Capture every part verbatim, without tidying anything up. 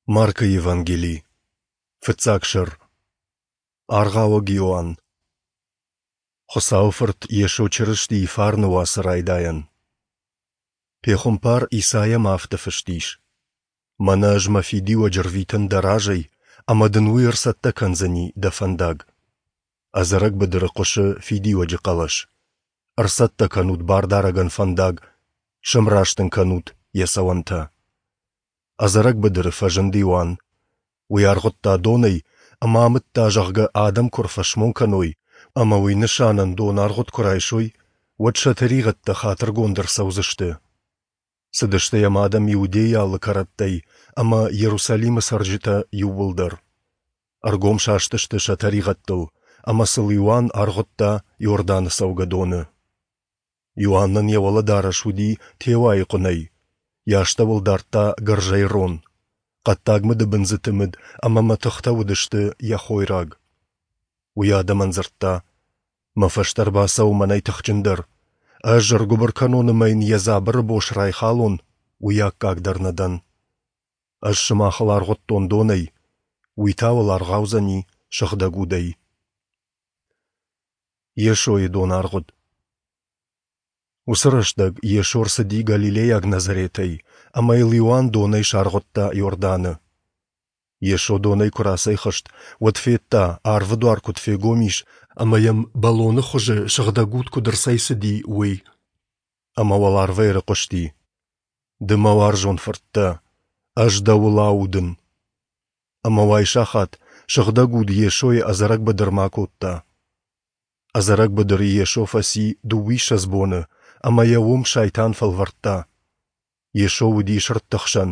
Маркы Евангели, фыццаг сӕр. Аргъауӕг Иоанн. Хуыцауы Фырт Йесо Чырыстийы фарны уацы райдайӕн. Пехуымпар Исайамӕ афтӕ фыст ис: Мӕнӕ ӕз мӕ фидиуӕджы рвитын дӕ разӕй, ӕмӕ дын уый ӕрцӕттӕ кӕндзӕни дӕ фӕндаг. Ӕдзӕрӕг быдыры хъуысы фидиуӕджы хъӕлӕс. Ӕрцӕттӕ кӕнут Бардарӕгӕн фӕндаг, сӕмраст ын кӕнут йӕ цӕуӕнтӕ. Ӕдзӕрӕг быдыры фӕзынд Иоанн. Уый аргъуыдта донӕй ӕмӕ амыдта, зӕгъгӕ, адӕм куы ӕрфӕсмон кӕной ӕмӕ уый нысанӕн донаргъуыд куы райсой, уӕд сӕ тӕригъӕдтӕ хатыргонд ӕрцӕудзысты. Цыдысты йӕм адӕм Иудейы алы кӕрӕттӕй ӕмӕ Иерусалимы цӕрджытӕ иууылдӕр. Ӕргом састысты сӕ тӕригъӕдтыл, ӕмӕ сыл Иоанн аргъуыдта Иорданы цӕугӕдоны. Иоаннӕн йӕ уӕлӕдарӕс уыди теуайы хъуынӕй, йӕ астӕуыл дардта гӕрзӕй рон. Хъӕддаг мыдыбындзыты мыд ӕмӕ мӕтыхтӕ уыдысты йӕ хойраг. Уый адӕмӕн дзырдта: Мӕ фӕстӕ ӕрбацӕуы мӕнӕй тыхджындӕр. Ӕз ӕргуыбыр кӕнон ӕмӕ йын йӕ дзабыры бос райхалон, уый аккаг дӕр нӕ дӕн. Ӕз сымахыл аргъуыдтон донӕй, уый та уыл аргъаудзӕни Сыгъдӕг Удӕй. Йесойы донаргъуыд. Уыцы рӕстӕг Йесо ӕрцыди галилейаг Назаретӕй, ӕмӕ йыл Иоанн донӕй саргъуыдта Иорданы. Йесо донӕй куы рацӕйхызт, уӕд федта, арвы дуар куыд фегом ис ӕмӕ йӕм бӕлоны хуызы Сыгъдӕг Уд куыд ӕрцӕйцыди, уый. Ӕмӕ уӕларвӕй ӕрыхъуысти: Ды мӕ уарзон фырт дӕ, ӕз дӕуыл аудын. Ӕмӕ уайсахат Сыгъдӕг Уд Йесойы ӕдзӕрӕг быдырмӕ акодта. Ӕдзӕрӕг быдыры Йесо фӕци дыууиссӕдз боны, ӕмӕ йӕ уым сайтан фӕлвӕрдта. Йесо уыди сырдты хсӕн,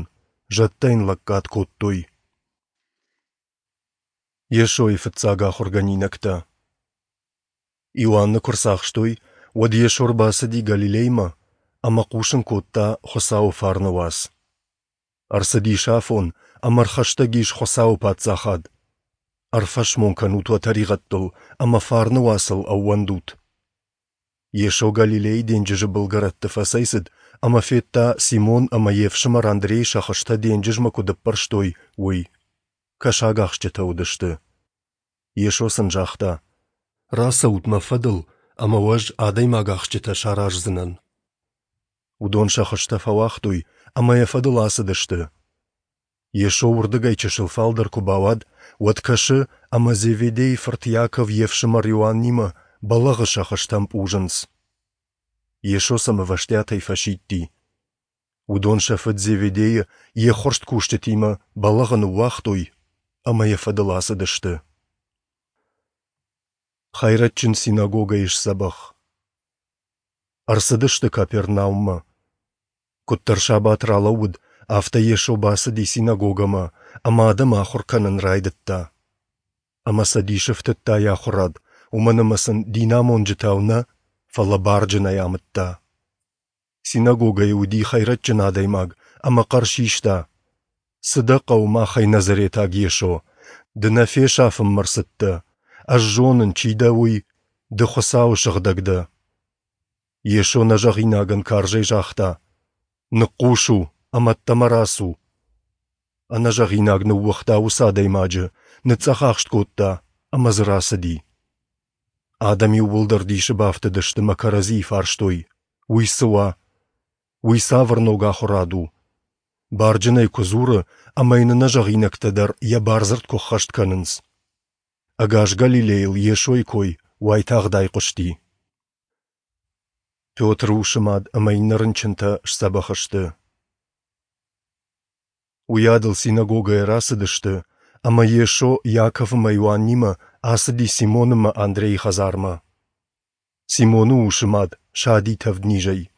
зӕдтӕ йын лӕггад кодтой. Йесойы фыццаг ахуыргӕнинӕгтӕ. Иоанны куы рцахстой, уӕд Йесо ӕрбацыди Галилеймӕ ӕмӕ хъусын кодта Хуыцауы фарны уац. Ӕрцыдис афон, ӕмӕ ӕрхӕстӕг ис Хуыцауы Паддзахад. Ӕрфӕсмон кӕнут уӕ тӕригъӕдтыл ӕмӕ фарны уацыл ӕууӕндут. Йесо Галилейы денджызы былгӕрӕтты фӕцӕйцыд ӕмӕ федта, Симон ӕмӕ йе фсымӕр Андрей сӕ хызтӕ денджызмӕ куыд ӕппӕрстой, уый. Кӕсагахсджытӕ уыдысты. Йесо сын загъта: Рацӕут мӕ фӕдыл, ӕмӕ уӕ ӕз адӕймагахсджытӕ сараздзынӕн. Уыдон сӕ хызтӕ фӕуагътой ӕмӕ йӕ фӕдыл ацыдысты. Йесо уырдыгӕй чысыл фалдӕр куы бауад, уӕд кӕсы, ӕмӕ Зеведейы фырт Иаков йе фсымӕр Иоаннимӕ бӕлӕгъы сӕ хызтӕ ӕмпъузынц. Йесо сӕм ӕвӕстиатӕй фӕсидти. Уыдон сӕ фыд Зеведейы йе ххуырст кусджытимӕ бӕлӕгъы ныууагътой ӕмӕ йӕ фӕдыл ацыдысты. Хӕйрӕджджын синагогӕйы сдзӕбӕх. Ӕрцыдысты Капернауммӕ. Куыддӕр сабат ралӕууыд, афтӕ Йесо бацыди синагогӕмӕ ӕмӕ адӕмы ахуыр кӕнын райдыдта. Ӕмӕ сӕ дисы фтыдта йӕ ахуырад, уымӕн ӕмӕ сын динамонджытау нӕ, фӕлӕ барджынӕй амыдта. Синагогӕйы уыди хӕйрӕджджын адӕймаг ӕмӕ хъӕр систа: Цы дӕ хъӕуы махӕй, Назаретаг Йесо? Ды нӕ фесафынмӕ рцыдтӕ. Ӕз зонын, чи дӕ, уый, ды Хуыцауы сыгъдӕг дӕ. Йесо нӕзӕгъинагӕн карзӕй загъта: Ныхъхъус у ӕмӕ ӕддӕмӕ рацу. Ӕнӕзӕгъинаг ныууагъта уыцы адӕймаджы, ныцъцъӕхахст кодта ӕмӕ дзы рацыди. Адӕм иууылдӕр дисы бафтыдысты мӕ кӕрӕдзийы фарстой: Уый цы уа? Уый цавӕр ног ахуырад у? Барджынӕй куы дзуры ӕмӕ йын ӕнӕзӕгъинӕгтӕ дӕр йӕ бардзырд куы ӕххӕст кӕнынц. Ӕгас Галилейыл Йесойы кой уайтагъд айхъуысти. Петры усы мад ӕмӕ иннӕ рынчынтӕ сдзӕбӕх сты. Уыйадыл синагогӕйӕ рацыдысты, ӕмӕ Йесо Иаков ӕмӕ Иоаннимӕ ацыди Симон ӕмӕ Андрейы хӕдзармӕ. Симоны усы мад сади тӕвднизӕй,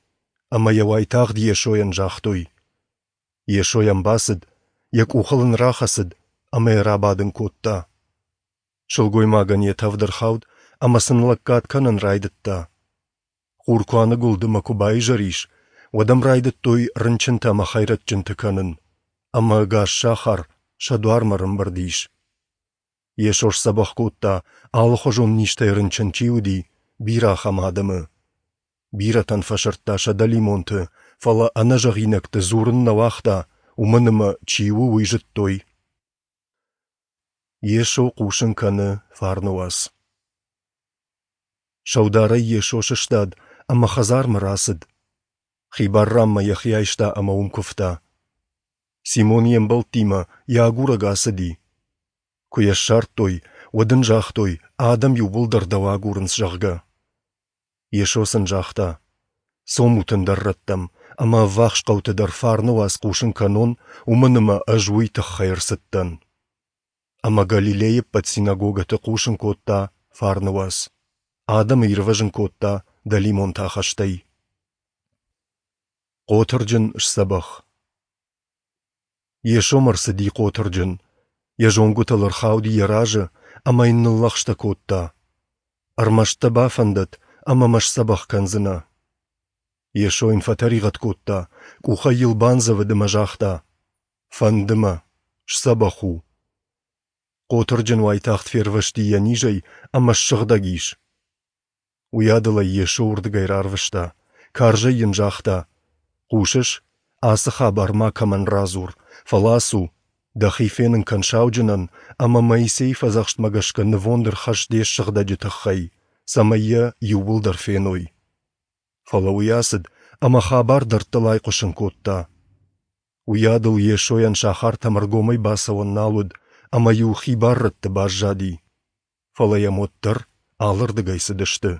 ӕмӕ йӕ уайтагъд Йесойӕн загътой. Йесо йӕм бацыд, йӕ къухыл ын рахӕцыд ӕмӕ йӕ рабадын кодта. Сылгоймагӕн йӕ тӕвд ӕрхауд ӕмӕ сын лӕггад кӕнын райдыдта. Хур куы аныгуылд ӕмӕ куы баизӕр ис, уӕд ӕм райдыдтой рынчынтӕ ӕмӕ хӕйрӕджджынты кӕнын, ӕмӕ ӕгас сахар сӕ дуармӕ ӕрӕмбырд ис. Йесо сдзӕбӕх кодта, алыхуызон низтӕй рынчын чи уыди, бирӕ ахӕм адӕмы. Бирӕтӕн фӕсырдта сӕ дӕлимонты, фӕлӕ ӕнӕзӕгъинӕгты дзурын нӕ уагъта, уымӕн ӕмӕ, чи у, уый зыдтой. Йесо хъусын кӕны фарны уац. Сӕударӕй Йесо сыстад ӕмӕ хӕдзармӕ рацыд. Хибар ранмӕ йӕхи айста ӕмӕ уым куывта. Симон йе мбӕлттимӕ йӕ агурӕг ацыди. Куы йӕ ссардтой, уӕд ын загътой, адӕм иууылдӕр дӕу агурынц, зӕгъгӕ. Йесо сын загъта: Цомут ӕндӕр рӕттӕм ӕмӕ ӕввахс хъӕуты дӕр фарны уац хъусын кӕнон, уымӕн ӕмӕ ӕз уый тыххӕй ӕрцыдтӕн. Ӕмӕ Галилейы ӕппӕт синагогӕты хъусын кодта фарны уац. Адӕмы ирвӕзын кодта дӕлимонты ахӕстӕй. Хъотырджын сдзӕбӕх. Йесомӕ ӕрцыди хъотырджын, йӕ зонгуытыл ӕрхауди йӕ разы ӕмӕ йын ныллӕгъстӕ кодта: Ӕрмӕст дӕ бафӕндӕд, ӕмӕ мӕ сдзӕбӕх кӕндзынӕ. Йесо йын фӕтӕригъӕд кодта, къухӕй йыл бандзӕвыд ӕмӕ загъта: Фӕнды мӕ, сдзӕбӕх у. Хъотырджын уайтагъд фервӕзти йӕ низӕй ӕмӕ ссыгъдӕг ис. Уыйадыл ӕй Йесо уырдыгӕй рарвыста, карзӕй йын загъта: Хъусыс, ацы хабар макӕмӕн радзур, фӕлӕ ацу, дӕхи фенын кӕн сауджынӕн ӕмӕ Моисейы фӕдзӕхстмӕ гӕсгӕ нывонд ӕрхӕсс де ссыгъдӕджы тыххӕй, цӕмӕй йӕ иууылдӕр феной. Фӕлӕ уый ацыд ӕмӕ хабар дӕрдтыл айхъуысын кодта. Уыйадыл Йесойӕн сахартӕм ӕргомӕй бацӕуӕн нал уыд, ӕмӕ-иу хибар рӕтты баззади. Фӕлӕ йӕм уӕддӕр алырдыгӕй цыдысты.